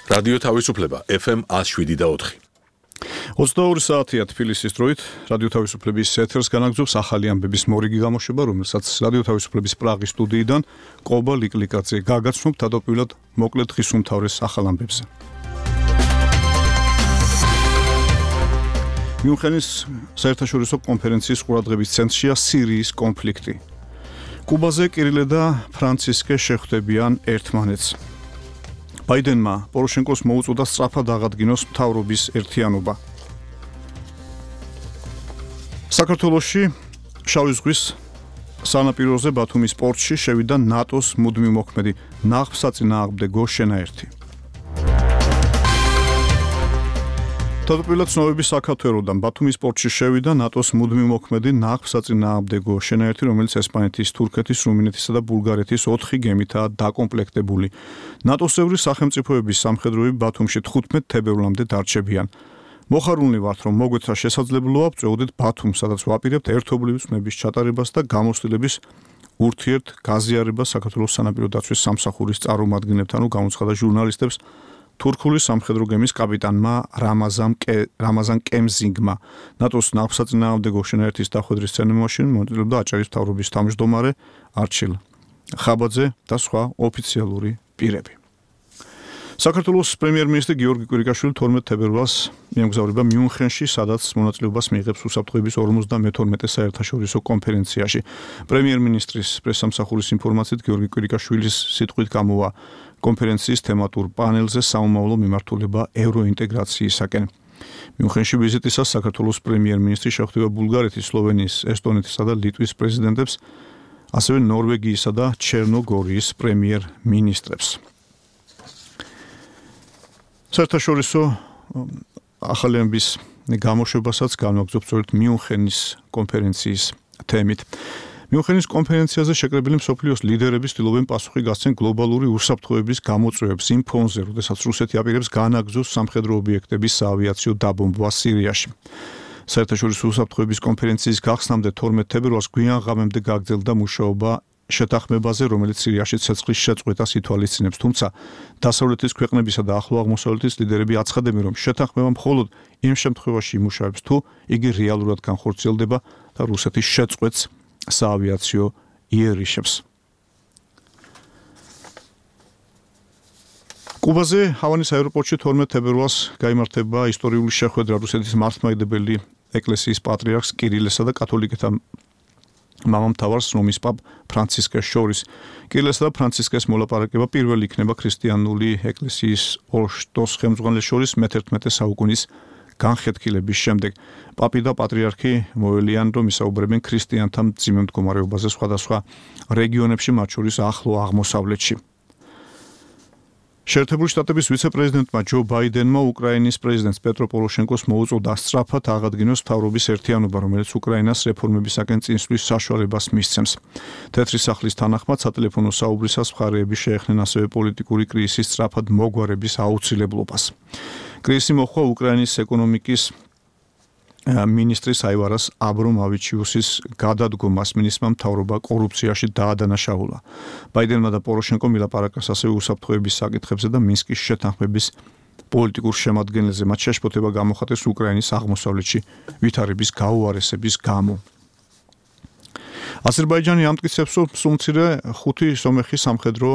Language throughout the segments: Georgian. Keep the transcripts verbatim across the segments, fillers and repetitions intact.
რადიო თავისუფლება ეფ ემ one oh seven და four. ოცდაორი საათია თბილისის დროით რადიო თავისუფლების ეთერს განაგრძობს ახალი ამბების მორიგი გამოშვება, რომელსაც რადიო თავისუფლების პრაღის სტუდიიდან ყობა ლიკლიკაძე გაგაცნობთ თავდაპირველად მოკლედ დღის უმთავრეს ახალ ამბებზე. მიუნხენის საერთაშორისო კონფერენციის ყურადღების ცენტრშია სირიის კონფლიქტი. კუბაზე კირილე და ფრანცისკე შეხვდებიან ერთმანეთს. ბაიდენმა პოროშენკოს მოუწოდა სწრაფად აღადგინოს მთავრობის ერთიანობა. საქართველოში შავი ზღვის სანაპიროზე ბათუმის პორტში შევიდა ნატოს მუდმივ მოქმედი ნაღმსაწინააღმდეგო შენაერთი. თავდაპირველად ცნობები საქართველოდან ბათუმის პორტში შევიდა ნატოს მუდმივ მოქმედი ნაღმსაწინააღმდეგო შენაერთი, რომელიც ესპანეთის, თურქეთის, რუმინეთისა და ბულგარეთის ოთხი გემითაა დაკომპლექტებული. ნატოს წევრი სახელმწიფოების სამხედროები ბათუმში თხუთმეტ თებერვლამდე დარჩებიან. მოხარულნი ვართ, რომ მოგვეცრა შესაძლებლობა ვწვეოდეთ ბათუმს, სადაც ვაპირებთ ერთობლივი ცნების ჩატარებას და გამოცდილების ურთიერთ გაზიარებას საქართველოს სანაპირო დაცვის სამსახურის წარმომადგენლებთან, განუცხადა ჟურნალისტებს თურქული სამხედრო გემის კაპიტანმა რამაზან რამაზან კემზინგმა. ნატოს ნაღმსაწინააღმდეგო შენაერთის დახვედრის ცერემონიაში მონაწილეობდა აჭარის მთავრობის თავმჯდომარე არჩილ ხაბაძე და სხვა ოფიციალური პირები. საქართველოს პრემიერ-მინისტრი გიორგი კვირიკაშვილი თორმეტ თებერვალს მიემგზავრება მიუნხენში, სადაც მონაწილეობას მიიღებს უსაფრთხოების ორმოცდამეთორმეტე საერთაშორისო კონფერენციაში. პრემიერ-მინისტრის პრესსამსახურის ინფორმაციით გიორგი კვირიკაშვილის სიტყვით გამოვა კონფერენციის თემატურ პანელზე საომავლო მიმართულება ევროინტეგრაციისაკენ. მიუნხენში ვიზიტისას საქართველოს პრემიერ-მინისტრი შეხვდება ბულგარეთის, სლოვენიის, ესტონეთისა და ლიტვის პრეზიდენტებს, ასევე ნორვეგიისა და ჩერნოგორიის პრემიერ-მინისტრებს. საერთაშორისო ახალი ამბების გამოშვებასაც განვაგრძობთ სწორედ მიუნხენის კონფერენციის თემით. მიუნხენის კონფერენციაზე შეკრებილი მსოფლიოს ლიდერები ცდილობენ პასუხი გასცენ გლობალური უსაფრთხოების გამოწვევებს იმ ფონზე, როდესაც რუსეთი აპირებს განაგრძოს სამხედრო ობიექტების საავიაციო დაბომბვა სირიაში. საერთაშორისო უსაფრთხოების კონფერენციის გახსნამდე თორმეტ თებერვალს გვიან ღამემდე გაგრძელდა მუშაობა შეთანხმებაზე, რომელიც სირიაში ცეცხლის შეწყვეტას ითვალისწინებს, თუმცა დასავლეთის ქვეყნებისა და ახლო აღმოსავლეთის ლიდერები აცხადებენ, რომ შეთანხმება მხოლოდ იმ შემთხვევაში იმუშავებს, თუ იგი რეალურად განხორციელდება და რუსეთის შეწყვეტს საავიაციო იერიშებს. კუბაზე ჰავანის აეროპორტში თორმეტ თებერვალს გაიმართება ისტორიული შეხვედრა რუსეთის მართლმადიდებელი ეკლესიის პატრიარქს კირილესა და კათოლიკეთა მამამთავარს რომის პაპ ფრანცისკეს შორის. კირილესა და ფრანცისკეს მოლაპარაკება პირველი იქნება ქრისტიანული ეკლესიის ორ შტოს ხელმძღვანელს შორის მეთერთმეტე საუკუნის განხეთქილების შემდეგ. პაპი და პატრიარქი მოელიან, რომ ისაუბრებენ ქრისტიანთა მძიმე მდგომარეობაზე სხვადასხვა რეგიონებში, მათ შორის ახლო აღმოსავლეთში. შეერთებული შტატების ვიცე-პრეზიდენტმა ჯო ბაიდენმა უკრაინის პრეზიდენტს პეტრო პოროშენკოს მოუწოდა სწრაფად აღადგინოს მთავრობის ერთიანობა, რომელიც უკრაინას რეფორმებისაკენ წინსვლის საშუალებას მისცემს. თეთრი სახლის თანახმად სატელეფონო საუბრისას მხარეები შეეხნენ ასევე პოლიტიკური კრიზისის სწრაფად მოგვარების აუცილებლობას. კრიზისი მოჰყვა უკრაინის ეკონომიკის მინისტრის აივარას აბრომავიჩიუსის გადადგომას, მინისტრმა მთავრობა კორუფციაში დაადანაშაულა. ბაიდენმა და პოროშენკომ ილაპარაკეს ასევე უსაფრთხოების საკითხებზე და მინსკის შეთანხმების პოლიტიკურ შემადგენელზე, მათ შეშფოთება გამოხატეს უკრაინის აღმოსავლეთში ვითარების გაუარესების გამო. აზერბაიჯანი ამტკიცებს, რომ სულმცირე ხუთი სომეხი სამხედრო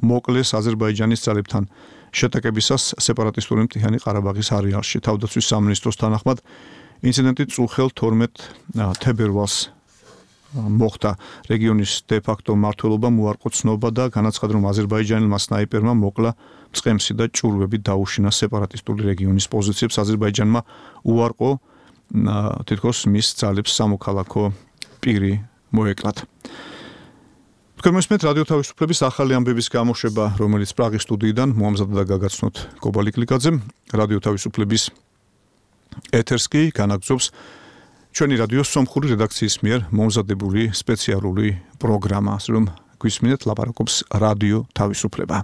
მოკლეს აზერბაიჯანის ძალებთან შეტაკებისას სეპარატისტული მთიანი ყარაბაღის არეალში. თავდაცვის სამინისტროს თანახმად ინციდენტი წუხელ თორმეტ თებერვალს მოხდა. რეგიონის დე-ფაქტო მმართველობამ უარყო ცნობა და განაცხადა, რომ აზერბაიჯანელმა სნაიპერმა მოკლა მწყემსი და ჭურვები დაუშინა სეპარატისტული რეგიონის პოზიციებს. აზერბაიჯანმა უარყო თითქოს მის ძალებს სამოქალაქო პირი მოეკლათ. თქვენმესმენთ რადიო თავისუფლების ახალი ამბების გამოშვება, რომელიც პრაღის სტუდიიდან მოამზადდა და გაგაცნოთ ყობა ლიკლიკაძემ. რადიო თავისუფლების ეთერს კი განაგრძობს ჩვენი რადიოს სომხური რედაქციის მიერ მომზადებული სპეციალური პროგრამა, ასე რომ გვისმინეთ ლაპარაკობს რადიო თავისუფლება.